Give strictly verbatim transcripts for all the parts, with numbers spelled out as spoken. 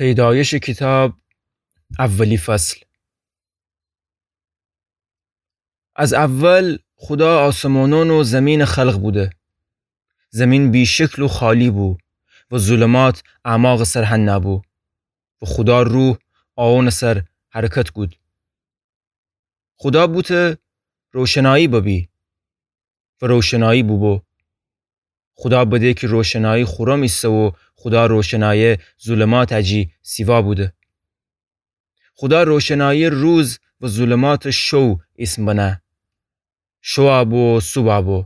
پیدایشٚ کیتاب، اولی فصل. از اول خودا آسمانأن و زمینٚ خلق بوده. زمین بی‌شکل و خالی بو و ظلمات اعماقٚ سر هنه بو و خودا روح آونٚ سر حرکت کود. خودا بوته روشنایی ببی و روشنایی بوبو. خودا بده کی روشنایی خورم ایسه و خودا روشنایی ظلماتٚ جی سیوا بوده. خودا روشنایی روز و ظلماتٚ شو ایسم بنه. شو ابو و صوبح ابو،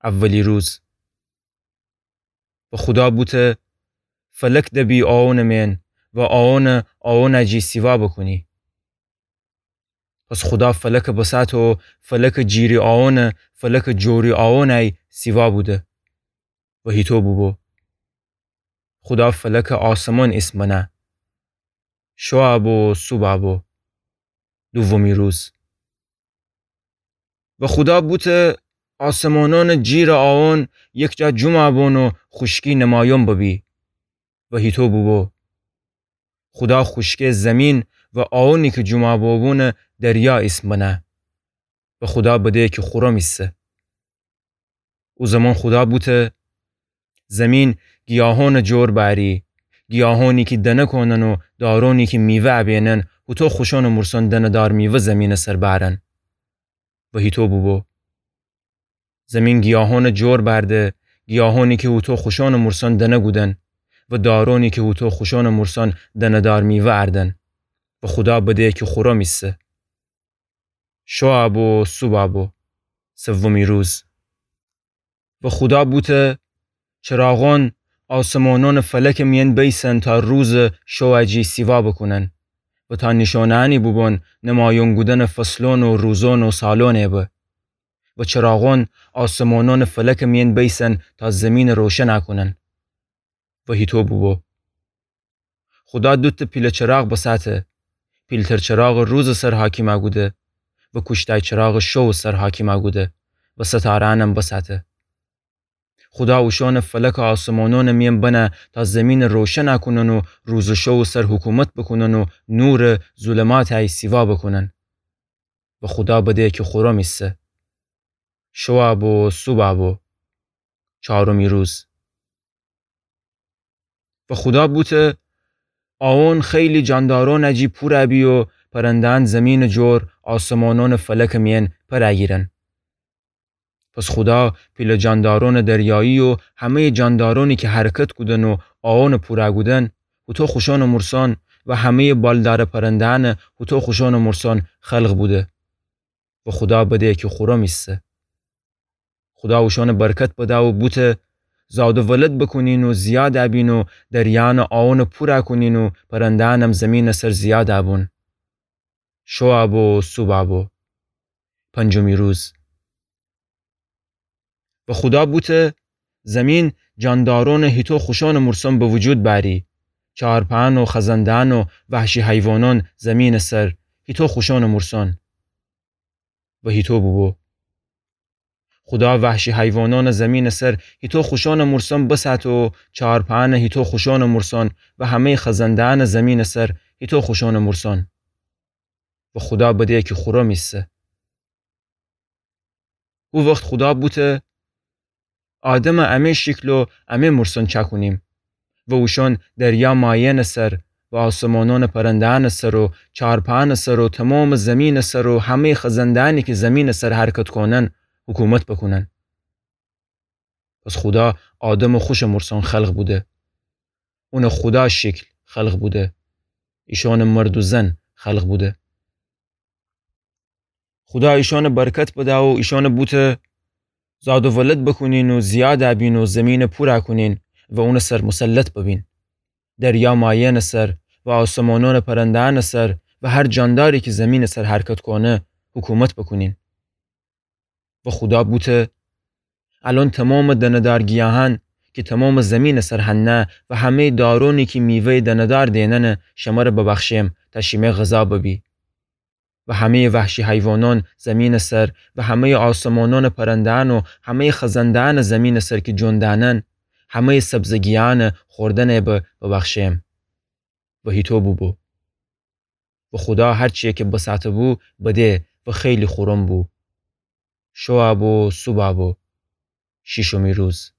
اولی روز. و خودا بوته فلک دبی آونٚ مئن و آونٚ آونٚ جی سیوا بوکونی. پس خودا فلکٚ بساطه و فلکٚ جیری آونٚ فلکٚ جوری آونٚ سیوا بوده و هیطو بوبو. خودا فلکٚ آسمون ایسم بنه. شو ابو و صوبح ابو، دومی روز. و خودا بوته آسمانأنٚ جیرٚ آون یکجا جمع بون و خوشکی نمایون ببی. و هیطو بوبو. خودا خوشکی زمین و آونی کی جمع بوبونٚ دریا ایسم بنه. و خودا بده کی خورم ایسه. او زمان خودا بوته زمین گیاهونٚ جور بأری، گیاهونی کی دنه کونن و دارونی کی میوه ابینن، هوطو خوشونٚ مرسان دنه‌دار میوه زمینٚ سر بأرن. و هیطو بوبو. زمین گیاهونٚ جور بأرده، گیاهونی کی هوطو خوشونٚ مرسان دنه کودن و دارونی کی هوطو خوشونٚ مرسان دنه‌دار میوه اردن. و خودا بده کی خورم ایسه. شو ابو و صوبح ابو، سومی روز. و خودا بوته چراغون آسمانونٚ فلکٚ مئن بیسن تا روزٚ شوٚ جی سیوا بوکونن و تا نیشونه‌یأنی بوبون نمایون کودنٚ فصلون و روزون و سالونٚ به. و چراغون آسمانونٚ فلکٚ مئن بیسن تا زمینٚ روشن کونن. و هیطو بوبو. خودا دوته پیله چراغ بساطه، پیلتر چراغٚ روزٚ سر حاکم کوده و کوشتای چراغٚ شوٚ سر حاکم کوده و ستاره‌یأنم بساطه. خودا اوشونٚ فلکٚ آسمانونٚ مئن بنه تا زمینٚ روشن کونن و روزٚ شوٚ سر حکومت بوکونن و نورٚ ظلماتٚ سیوا بوکونن. و خودا بده کی خورم ایسه. شوٚ ابو و صوبح ابو، چارمی روز. و خودا بوته آون خیلی جاندارونٚ جی پور بی و پرنده‌یأن زمینٚ جور آسمانونٚ فلکٚ مئن پر گیرن. پس خودا پیله جاندارونٚ دریایی و همه‌یٚ جاندارونی کی حرکت کودن و آونٚ پور کودن، هوطو خوشونٚ مرسان و همه‌یٚ بالدارٚ پرنده‌یأن هوطو خوشونٚ مرسان خلق بوده. و خودا بده کی خورم ایسه. خودا اوشونٚ برکت بده و بوته زاد و ولد بوکونین و زیاد بین و دریانٚ آونٚ پور کونین و پرنده‌یأنم زمینٚ سر زیاد بون. شوٚ ابو و صوبح ابو، پنجمی روز. و خودا بوته زمین جاندارونٚ هیطو خوشونٚ مرسان به وجود بأری، چارپایأن و خزنده‌یأن و وحشی حیوانأن زمینٚ سر هیطو خوشونٚ مرسان. و هیطو بوبو. خودا وحشی حیوانأنٚ زمینٚ سر هیطو خوشونٚ مرسان بساطه و چارپایأنٚ هیطو خوشونٚ مرسان و همه‌یٚ خزنده‌یأنٚ زمینٚ سر هیطو خوشونٚ مرسان. و خودا بده کی خورم ایسه. هو وخت خودا بوته آدمٚ امه شکل و امه مرسان چأکونیم و اوشأن دریا مایه‌یأنٚ سر و آسمانأنٚ پرنده‌یأنٚ سر و چارپایأنٚ سر و تومامٚ زمینٚ سر و همه‌یٚ خزنده‌یأنی کی زمینٚ سر حرکت کونن حکومت بوکونن. پس خودا آدمٚ خوشٚ مرسان خلق بوده. اونٚ خودا شکل خلق بوده. ایشأنٚ مرد و زن خلق بوده. خودا ایشأنٚ برکت بده و ایشأنٚ بوته زاد و ولد بوکونین و زیاد بین و زمینٚ پور کونین و اونٚ سر مسلط ببین. دریا مایه‌یأنٚ سر و آسمانأنٚ پرنده‌یأنٚ سر و هر جانداری کی زمینٚ سر حرکت کونه حکومت بوکونین. و خودا بوته الأن تومامٚ دنه‌دار گیاهأن کی تومامٚ زمینٚ سر هنه و همه‌یٚ دارونی کی میوه‌یٚ دنه‌دار دیننه شمره ببخشیم تا شیمه غذا ببی. و همه‌یٚ وحشی حیوانأن زمینٚ سر و همه‌یٚ آسمانأنٚ پرنده‌یأن و همه‌یٚ خزنده‌یأنٚ زمینٚ سر کی جون دأنن، همه‌یٚ سبزٚ گیاهأنٚ خوردنٚ به ببخشیم. و هیطو بوبو. و خودا هرچیی کی بساته‌بو بده و خیلی خورم بو. شوأ بو، صوبأ بو، شیشمی روز.